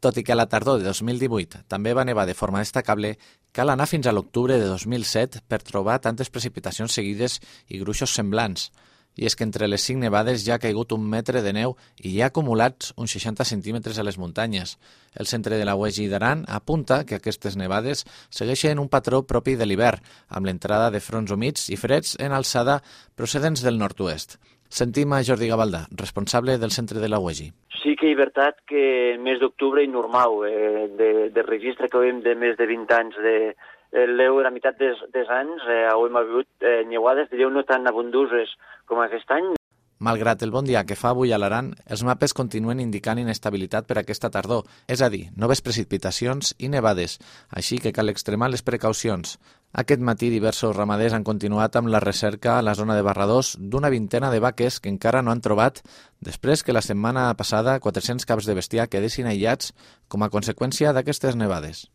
Tot i que a la tardor de 2018 també va nevar de forma destacable, cal anar fins a l'octubre de 2007 per trobar tantes precipitacions seguides i gruixos semblants. I és que entre les 5 nevades ja ha caigut 1 metre de neu i hi ha acumulats uns 60 centímetres a les muntanyes. El centre de la UEGI d'Aran apunta que aquestes nevades segueixen un patró propi de l'hivern, amb l'entrada de fronts humits i freds en alçada procedents del nord-oest. Sentim a Jordi Gavaldà, responsable del centre de la UEGI. Sí que és veritat que el mes d'octubre és normal, de registre que veiem de més de 20 anys l'eu de la meitat dels anys, hem hagut neuades, diríeu, no tan abundoses com aquest any. Malgrat el bon dia que fa avui a l'Aran, els mapes continuen indicant inestabilitat per aquesta tardor, és a dir, noves precipitacions i nevades, així que cal extremar les precaucions. Aquest matí diversos ramaders han continuat amb la recerca a la zona de Barradós d'una vintena de vaques que encara no han trobat després que la setmana passada 400 caps de bestiar quedessin aïllats com a conseqüència d'aquestes nevades.